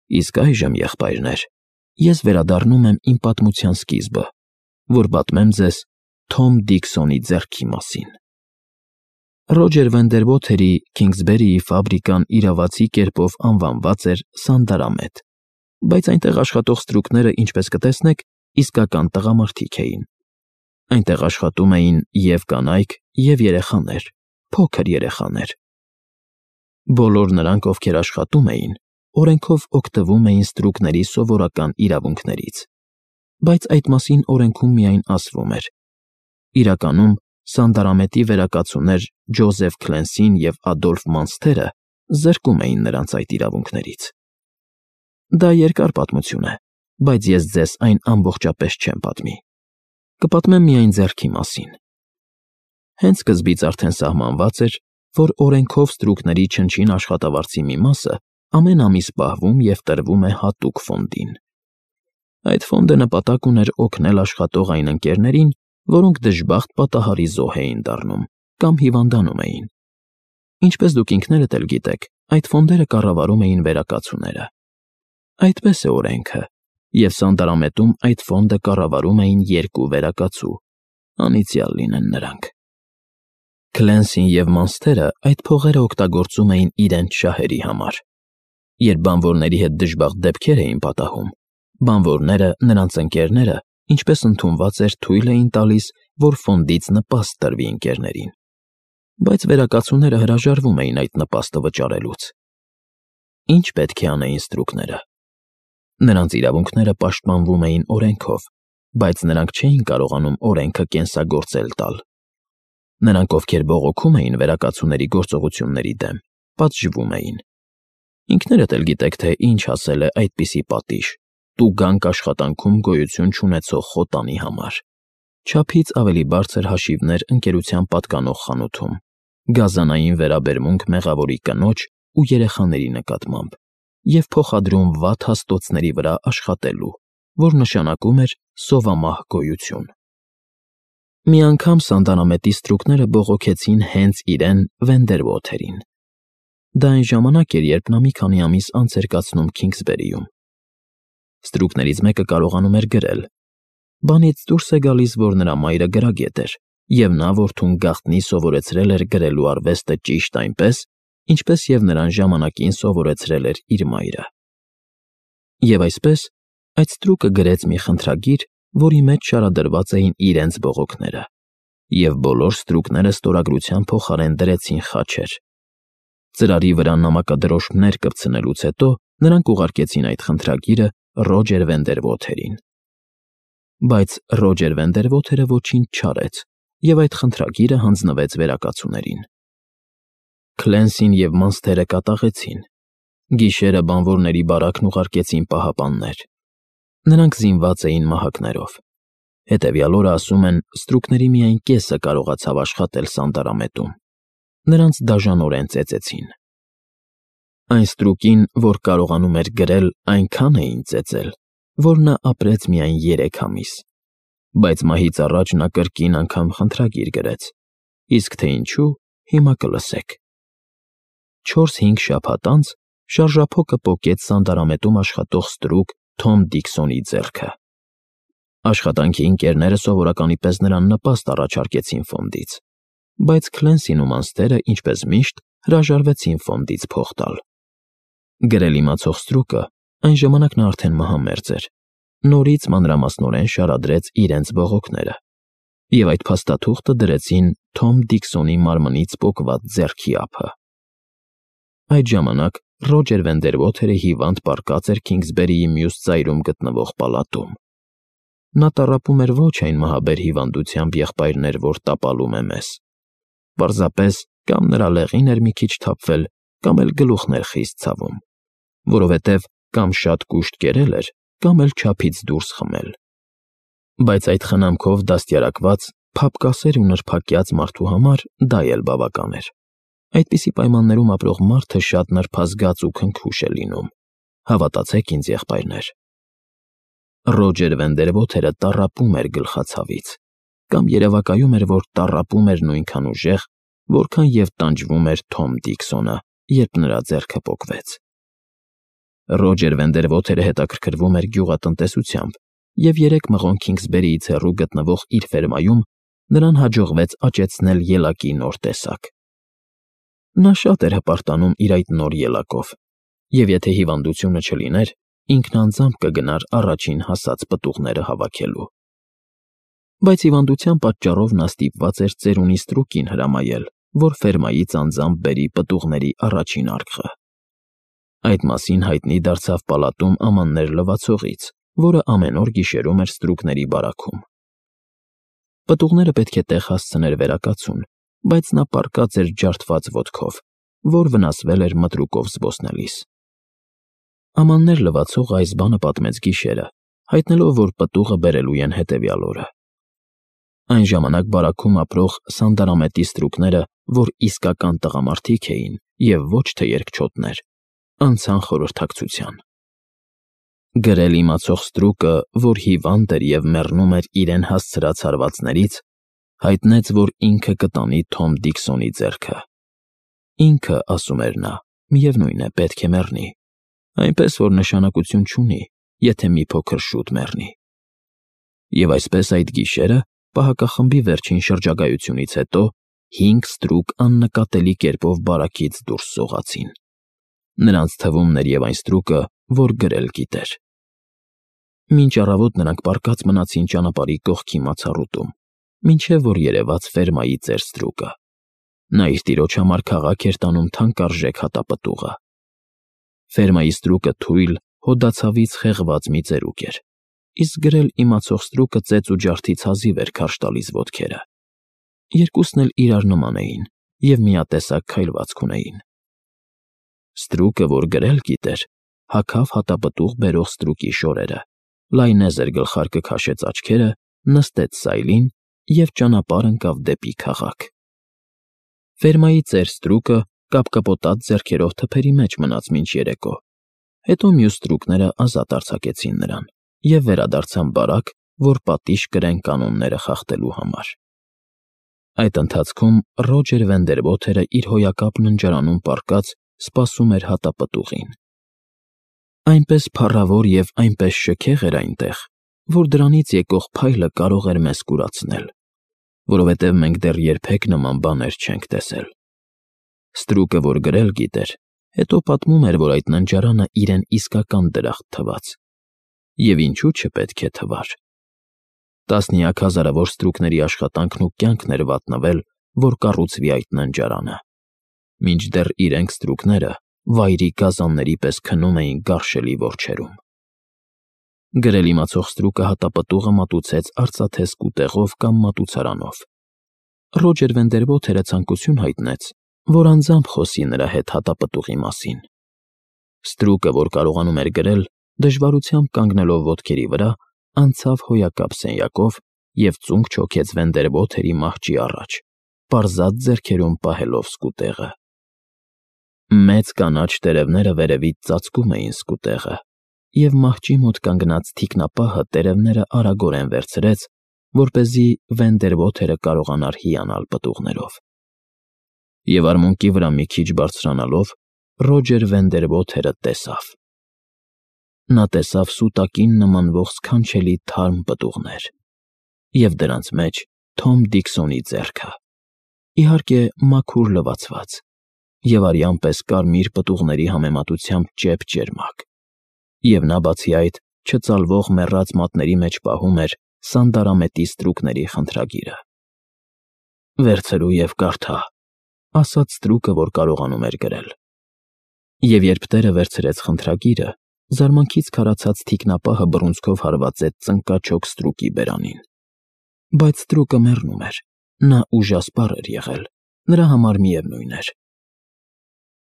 Իսկ այժմ, եղբայրներ, ես վերադառնում եմ իմ պատմության սկիզբը, որ պատմեմ ձեզ Թոմ Դիքսոնի ձեռքի մասին։ Ռոջեր Վենդերվոթերի Քինգսբերիի ֆաբրիկան իրավացի կերպով անվանված էր Սանդարամետ, բայց այնտեղ աշխատող ստրուկները, ինչպես կտեսնեք, իսկական տղամարդիկ էին։ Այնտեղ աշխատում էին և կանայք, և երեխաներ, փոքր երեխաներ։ Բոլոր նրանք, ովքեր աշխատում էին, օրենքով օգտվում էին ստրուկների սովորական իրավունքներից, բայց այդ մասին օրենքում միայն ասվում էր։ Իրականում Սանդարամետի վերակացուներ Ջոզեֆ Քլենսին և Ադոլֆ Մանսթերը զրկում էին նրանց այդ իրավունքներից։ Դա երկար պատմություն է, բայց ես ձեզ այն ամբողջապես չեմ պատմի։ Կպատմեմ միայն ձեռքի մասին։ Հենց սկզբից արդեն սահմանված էր, որ օրենքով ստրուկների չնչին աշխատավարձի մի մասը ամեն ամիս պահվում և տրվում է հատուկ ֆոնդին։ Այդ ֆոնդը նպատակ ուներ օգնել աշխատող այն ընկերներին, որոնք դժբախտ պատահարի զոհ էին դառնում կամ հիվանդանում էին։ Ինչպես դուք ինքներդ էլ գիտեք, այդ ֆոնդերը կառավարում էին վերակացուները։ Այդպես է օրենքը, և Սանդարամետում այդ ֆոնդը կառավարում էին երկու վերակացու, անիծյալ լինեն նրանք։ Քլենսին և Մանսթերը այդ փողերը օգտագործում էին իրենց շահերի համար։ Երբ բանվորների հետ դժբախտ դեպքեր էին պատահում, բանվորները, նրանց ընկերները, ինչպես ընդունված էր, թույլ էին տալիս, որ ֆոնդից նպաստ տրվի ընկերներին։ Բայց վերակացուները հրաժարվում էին այդ նպաստը վճարելուց։ Ինչ պետք է անեին ստրուկները։ Նրանց իրավունքները պաշտպանվում էին օրենքով, բայց նրանք չէին կարողանում օրենքը կենսագործել տալ։ Նրանք, ովքեր բողոքում էին վերակացուների գործողությունների դեմ, պատժվում էին։ Ինքներդ էլ գիտեք, թե ինչ ասել է այդպիսի պատիժ՝ տուգանք աշխատանքում գոյություն չունեցող խոտանի համար։ Չափից ավելի բարձր հաշիվներ ընկերության պատկանող խանութում, գազանային վերաբերմունք մեղավորի կնոջ ու երեխաների նկատմամբ և փոխադրում վատ հաստոցների վրա աշխատելու, որ նշանակում էր սովամահ գոյություն։ Մի անգամ Սանդարամետի ստրուկները բողոքեցին հենց իրեն Վենդերվոթերին։ Դա այն ժամանակ էր, երբ նա մի քանի ամիս անց էր կացնում Քինգսբերիում։ Ստրուկներից մեկը կարողանում էր գրել։ Բանից դուրս է գալիս, որ նրա մայրը գրագետ էր, և նա որդուն գաղտնի սովորեցրել էր գրելու արվեստը ճիշտ այնպես, ինչպես և նրան ժամանակին սովորեցրել էր իր մայրը։ Եվ այսպես, այդ ստրուկը գրեց մի խնդրագիր, որի մեջ շարադրված էին իրենց բողոքները, և բոլոր ստրուկները ստորագրության փոխարեն դրեցին խաչեր։ Ծրարի վրա նամակադրոշմներ կպցնելուց հետո նրանք ուղարկեցին այդ խնդրագիրը Ռոջեր Վենդերվոթերին։ Բայց Ռոջեր Վենդերվոթերը ոչինչ չարեց, և այդ խնդրագիրը հանձնվեց վերակացուներին։ Քլենսին և Մանսթերը կատաղեցին։ Գիշերը բանվորների բարակն ուղարկեցին պահապաններ։ Նրանք զինված էին մահակներով։ Հետևյալ օրը, ասում են, ստրուկների միայն կեսը կարողացավ աշխատել Սանդարամետում։ Նրանց դաժանորեն ծեծեցին։ Այն ստրուկին, որ կարողանում էր գրել, այնքան էին ծեծել, որ նա ապրեց միայն 3 ամիս։ Բայց մահից առաջ նա կրկին անգամ խնդրագիր գրեց, իսկ թե ինչու, հիմա կլսեք։ 4-5 շաբաթ անց շարժափոկը պոկեց Սանդարամետում աշխատող ստրուկ Թոմ Դիքսոնի ձեռքը։ Աշխատանքի ընկերները սովորականի պես նրան նպաստ առաջարկեցին ֆոնդից, բայց Քլենսին ու Մանսթերը, ինչպես միշտ, հրաժարվեցին ֆոնդից փող տալ։ Գրել իմացող ստրուկը, այն ժամանակ նա արդեն մահամերձ էր, նորից մանրամասնորեն շարադրեց իրենց բողոքները, և այդ փաստաթուղթը դրեցին Թոմ Դիքսոնի մարմնից պոկված ձեռքի ափը։ Այդ ժամանակ Ռոջեր Վենդերվոթերը հիվանդ պառկած էր Քինգսբերիի մյուս ծայրում գտնվող պալատում։ Նա տառապում էր ոչ այն մահաբեր հիվանդությամբ, եղբայրներ, որ տապալում է մեզ։ Պարզապես կամ նրա լեղին էր մի քիչ թափվել, կամ էլ գլուխն էր խիստ ցավում, որովհետև կամ շատ կուշտ կերել էր, կամ էլ չափից դուրս խմել։ Բայց այդ խնամքով դաստիարակված, փափկասեր ու նրբակյաց մարդու համար դա էլ բավական էր։ Այդպիսի պայմաններում ապրող մարդը շատ նրբազգաց ու քնքուշ է լինում, հավատացեք ինձ, եղբայրներ։ Ռոջեր Վենդերվոթերը տառապում էր գլխացավից, կամ երևակայում էր, որ տառապում էր նույնքան ուժեղ, որքան և տանջվում էր Թոմ Դիքսոնը, երբ նրա ձեռքը պոկվեց։ Ռոջեր Վենդերվոթերը հետաքրքրվում էր գյուղատնտեսությամբ, և 3 մղոն Քինգսբերիից հեռու գտնվող իր ֆերմայում նրան հաջողվեց աճեցնել ելակի նոր տեսակ։ Նա շատ էր հպարտանում իր այդ նոր ելակով, և եթե հիվանդությունը չլիներ, ինքն անձամբ կգնար առաջին հասած պտուղները հավաքելու։ Բայց հիվանդության պատճառով նա ստիպված էր ծերունի ստրուկին հրամայել, որ ֆերմայից անձամբ բերի պտուղների առաջին արկղը։ Այդ մասին հայտնի դարձավ պալատում ամաններ լվացողից, որը ամեն օր գիշերում էր ստրուկների բարաքում։ Պտուղները պետք է տեղ հասցներ վերակացուն, բայց նա պառկած էր ջարդված ոտքով, որ վնասվել էր մտրուկով զբոսնելիս։ Ամաններ լվացողը այս բանը պատմեց գիշերը, հայտնելով, որ պտուղը բերելու են հետևյալ օրը։ Այն ժամանակ բարաքում ապրող սանդարամետի ստրուկները, որ իսկական տղամարդիկ էին և ոչ թե երկչոտներ, անցան խորհրդակցության։ Գրել իմացող ստրուկը, որ հիվանդ էր և մեռնում էր իրեն հասցրած հարվածներից, հայտնեց, որ ինքը կտանի Թոմ Դիքսոնի ձեռքը։ Ինքը, ասում էր նա, միևնույն է, պետք է մեռնի, այնպես որ նշանակություն չունի, եթե մի փոքր շուտ մեռնի։ Եվ այսպես այդ գիշերը, պահակախմբի վերջին շրջագայությունից հետո, 5 ստրուկ աննկատելի կերպով բարակից դուրս սողացին։ Նրանց թվում էր և այն ստրուկը, որ գրել գիտեր։ Մինչ առավոտ նրանք պառկած մնացին ճանապարհի կողքի մացառուտում, մինչև որ երևաց ֆերմայի ծեր ստրուկը։ Նա իր տիրոջ համար քաղաք էր տանում թանկարժեք հատապտուղը։ Ֆերմայի ստրուկը թույլ, հոդացավից խեղված մի ծերուկ էր, իսկ գրել իմացող ստրուկը ծեծ ու ջարդից հազիվ էր քարշ տալիս ոտքերը։ Երկուսն էլ իրար նման էին և միատեսակ քայլվածք ունեին։ Ստրուկը, որ գրել գիտեր, հագավ հատապտուղ բերող ստրուկի շորերը, լայնեզր գլխարկը քաշեց աչքերը, նստեց սայլին և ճանապարհ ընկավ դեպի քաղաք։ Ֆերմայի ծեր ստրուկը կապկպոտած ձեռքերով թփերի մեջ մնաց մինչ երեկո, հետո մյուս ստրուկները ազատ արձակեցին նրան և վերադարձան բարակ, որ պատիժ կրեն կանոնները խախտելու համար։ Այդ ընթացքում Ռոջեր Վենդերվոթերը իր հոյակապ ննջարանում պառկած սպասում էր հատապտուղին։ Այնպես փառավոր և այնպես շքեղ էր այնտեղ, որ դրանից եկող փայլը կարող էր մեզ կուրացնել, որովհետև մենք դեռ երբեք նման բաներ չենք տեսել։ Ստրուկը, որ գրել գիտեր, հետո պատմում էր, որ այդ ննջարանը իրեն իսկական դրախտ թվաց։ Եվ ինչու չպետք է թվար։ Տասնյակ հազարավոր ստրուկների աշխատանքն ու կյանքն էր վատնվել, որ կառուցվի այդ ննջարանը, մինչդեռ իրենք ստրուկները վայրի գազանների պես քնում էին գարշելի որջերում։ Գրել իմացող ստրուկը հատապտուղը մատուցեց արծաթե սկուտեղով կամ մատուցարանով։ Ռոջեր Վենդերվոթերը ցանկություն հայտնեց, որ անձամբ խոսի նրա հետ հատապտուղի մասին։ Ստրուկը, որ կարողանում էր գրել, դժվարությամբ կանգնելով ոտքերի վրա, անցավ հոյակապ սենյակով և ծունկ չոքեց Վենդերվոթերի մահճի առաջ, պարզած ձեռքերում պահելով սկուտեղը։ Մեծ կանաչ տերևները վերևից ծածկում էին սկուտեղը, և մահճի մոտ կանգնած թիկնապահը տերևները արագորեն վերցրեց, որպեսզի Վենդերվոթերը կարողանար հիանալ պտուղներով։ Եվ արմունկի վրա մի քիչ բարձրանալով, Ռոջեր Վենդերվոթերը տեսավ։ Նա տեսավ սուտակին նմանվող սքանչելի թարմ պտուղներ, և դրանց մեջ Թոմ Դիքսոնի ձեռքը, իհարկե, մաքուր լվացված, և արյան պես կարմիր պտուղների համեմատությամբ ճեպ֊ճերմակ, և նա, բացի այդ, չծալվող մեռած մատների մեջ պահում էր սանդարամետի ստրուկների խնդրագիրը։ «Վերցրու և կարդա», ասաց ստրուկը, որ կարողանում էր գրել։ Եվ երբ տերը վերցրեց խնդրագիրը, զարմանքից քարացած թիկնապահը բռունցքով հարվածեց ծնկաչոք ստրուկի բերանին։ Բայց ստրուկը մեռնում էր, նա ուժասպառ էր եղել, նրա համար միևնույն էր։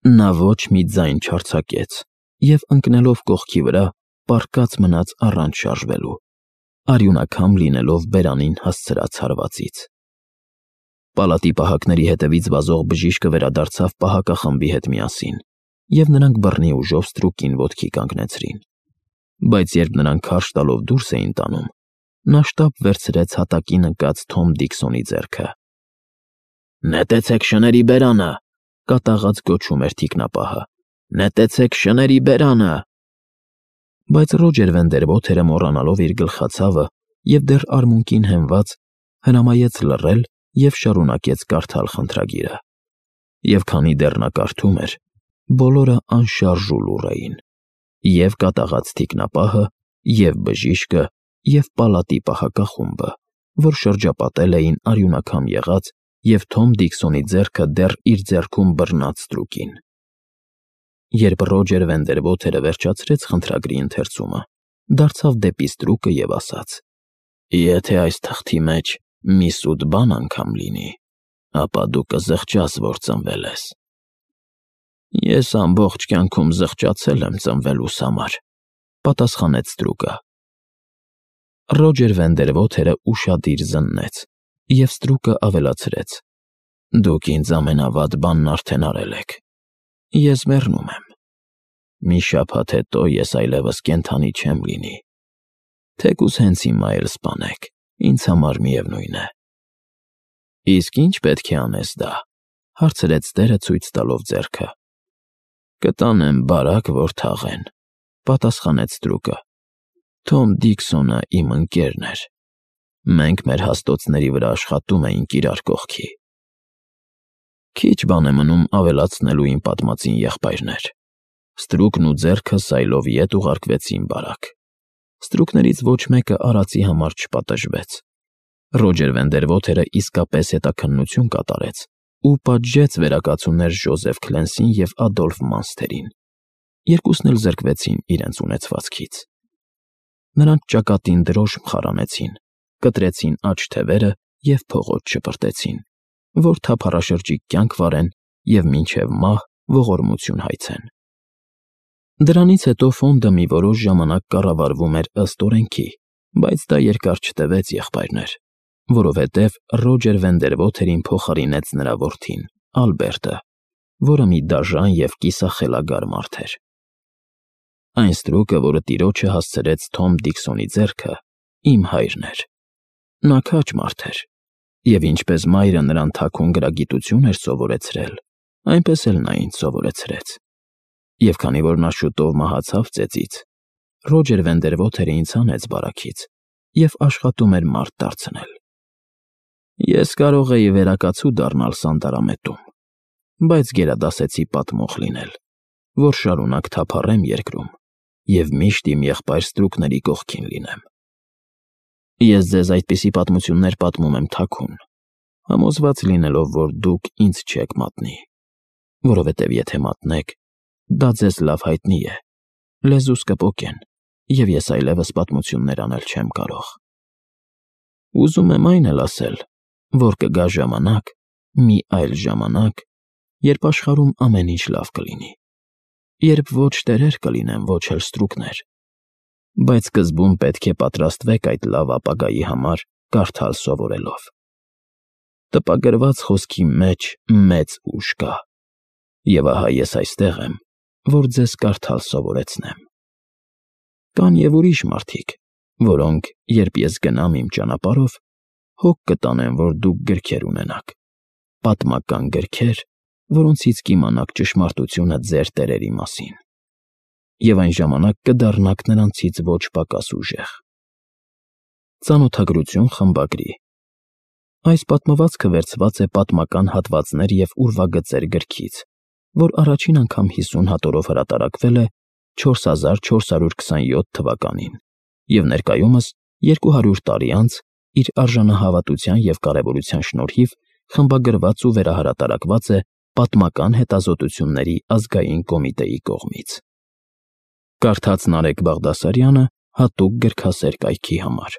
Նա ոչ մի ձայն չարձակեց և, ընկնելով կողքի վրա, պառկած մնաց առանց շարժվելու, արյունակամ լինելով բերանին հասցրած հարվածից։ Պալատի պահակների հետևից վազող բժիշկը վերադարձավ պահակախմբի հետ միասին, և նրանք բռնի ուժով ստրուկին ոտքի կանգնեցրին։ Բայց երբ նրանք քարշ տալով դուրս էին տանում, նա շտապ վերցրեց հատակին ընկած Թոմ Դիքսոնի ձեռքը։ «Նետեցեք շների բերանը», կատաղած գոչում էր թիկնապահը։ «Նետեցեք շների բերանը»։ Բայց Ռոջեր Վենդերբոթերը մոռանալով իր գլխացավը և դեռ արմունկին հենված, հրամայեց լռել և շարունակեց կարդալ խնդրագիրը։ Եվ քանի դեռ նա կարդում էր, բոլորը անշարժ ու լուռ էին. և կատաղած թիկնապահը, և բժիշկը, և պալատի պահակախումբը, որ շրջապատել էին արյունակամ եղած և Թոմ Դիքսոնի ձեռքը դեռ իր ձեռքում բռնած ստրուկին։ Երբ Ռոջեր Վենդերբոթերը վերջացրեց խնդրագրի ընթերցումը, դարձավ դեպի ստրուկը և ասաց. «Եթե այս թղթի մեջ մի սուտ բան անգամ լինի, ապա դու կզղջաս, որ ծնվել ես»։ «Ես ամբողջ կյանքում զղջացել եմ ծնվելուս համար», պատասխանեց ստրուկը։ Ռոջեր Վենդերբոթերը ուշադիր զննեց, և ստրուկը ավելացրեց. «Դուք ինձ ամենավատ բանն արդեն արել եք։ Ես մեռնում եմ։ Մի շաբաթ հետո ես այլևս կենդանի չեմ լինի։ Թեկուզ հենց հիմա էլ սպանեք, ինձ համար միևնույն է»։ «Իսկ ի՞նչ պետք է անես դա», հարցրեց տերը ցույց տալով ձեռքը։ «Կտանեմ բարակ, որ թաղեն», պատասխանեց ստրուկը։ «Թոմ Դիքսոնը իմ ընկերն էր։ Մենք մեր հաստոցների վրա աշխատում էինք իրար կողքի»։ «Քիչ բան է մնում ավելացնելու իմ պատմածին, եղբայրներ»։ Ստրուկն ու ձեռքը սայլով ետ ուղարկվեցին բարակ։ Ստրուկներից ոչ մեկը արածի համար չպատժվեց։ Ռոջեր Վենդերբոթերը իսկապես հետաքննություն կատարեց ու պատժեց վերակացուներ Ջոզեֆ Քլենսին և Ադոլֆ Մանսթերին։ Երկուսն էլ զրկվեցին իրենց ունեցվածքից։ Նրանց ճակատին դրոշմ խարանեցին, կտրեցին աջ թևերը և փողոց շպրտեցին, որ թափառաշրջիկ կյանք վարեն և մինչև մահ ողորմություն հայցեն։ Դրանից հետո ֆոնդը մի որոշ ժամանակ կառավարվում էր ըստ օրենքի, բայց դա երկար չտևեց, եղբայրներ, որովհետև Ռոջեր Վենդերբոթերին փոխարինեց նրա որդին՝ Ալբերտը, որը մի դաժան և կիսախելագար մարդ էր։ Այն ստրուկը, որը տիրոջը հասցրեց Թոմ Դիքսոնի ձեռքը, իմ հայրն էր։ Նա քաջ մարդ էր, և ինչպես մայրը նրան թաքուն գրագիտություն էր սովորեցրել, այնպես էլ նա ինձ սովորեցրեց։ Եվ քանի որ նա շուտով մահացավ ծեծից, Ռոջեր Վենդերբոթերը ինձ հանեց բարակից և աշխատում էր մարդ դարձնել։ Ես կարող էի վերակացու դառնալ Սանտարամետում, բայց գերադասեցի պատմող լինել, որ շարունակ թափառեմ երկրում և միշտ իմ եղբայր ստրուկների կողքին լինեմ։ Ես ձեզ այդպիսի պատմություններ պատմում եմ թաքուն, համոզված լինելով, որ դուք ինձ չեք մատնի, որովհետև եթե մատնեք, դա ձեզ լավ հայտնի է, լեզուս կպոկեն, և ես այլևս պատմություններ անել չեմ կարող։ Ուզում եմ այն էլ ասել, որ կգա ժամանակ, մի այլ ժամանակ, երբ աշխարհում ամեն ինչ լավ կլինի, երբ ոչ տերեր կլինեն, ոչ էլ ստրուկներ, բայց սկզբում պետք է պատրաստվեք այդ լավ ապագայի համար կարդալ սովորելով։ Տպագրված խոսքի մեջ մեծ ուժ կա, և ահա ես այստեղ եմ, որ ձեզ կարդալ սովորեցնեմ։ Կան և ուրիշ մարդիկ, որոնք, երբ ես գնամ իմ ճանապարհով, հոգ կտանեն, որ դուք գրքեր ունենաք, պատմական գրքեր, որոնցից կիմանաք ճշմարտությունը ձեր տերերի մասին, և այն ժամանակ կդառնաք նրանցից ոչ պակաս ուժեղ։ Ծանոթագրություն խմբագրի։ Այս պատմվածքը վերցված է պատմական հատվածներ և ուրվագծեր գրքից, որ առաջին անգամ 50 հատորով հրատարակվել է 4427 թվականին և ներկայումս 200 տարի անց իր արժանահավատության և կարևորության շնորհիվ խմբագրված ու վերահրատարակված է Պատմական հետազոտությունների ազգային կոմիտեի կողմից։ Կարդաց Նարեկ Բաղդասարյանը հատուկ գրքասեր կայքի համար։